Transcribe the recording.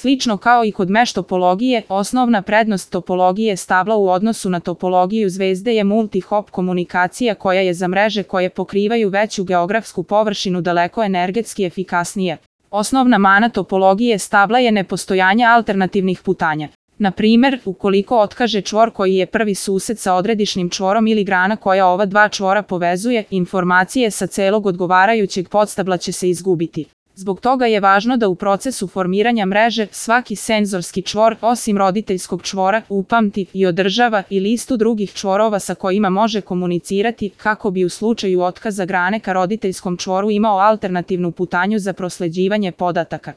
Slično kao i kod meš topologije, osnovna prednost topologije stabla u odnosu na topologiju zvezde je multi-hop komunikacija koja je za mreže koje pokrivaju veću geografsku površinu daleko energetski efikasnija. Osnovna mana topologije stabla je nepostojanje alternativnih putanja. Na primer, ukoliko otkaže čvor koji je prvi sused sa odredišnim čvorom ili grana koja ova dva čvora povezuje, informacije sa celog odgovarajućeg podstabla će se izgubiti. Zbog toga je važno da u procesu formiranja mreže svaki senzorski čvor, osim roditeljskog čvora, upamti i održava i listu drugih čvorova sa kojima može komunicirati kako bi u slučaju otkaza grane ka roditeljskom čvoru imao alternativnu putanju za prosleđivanje podataka.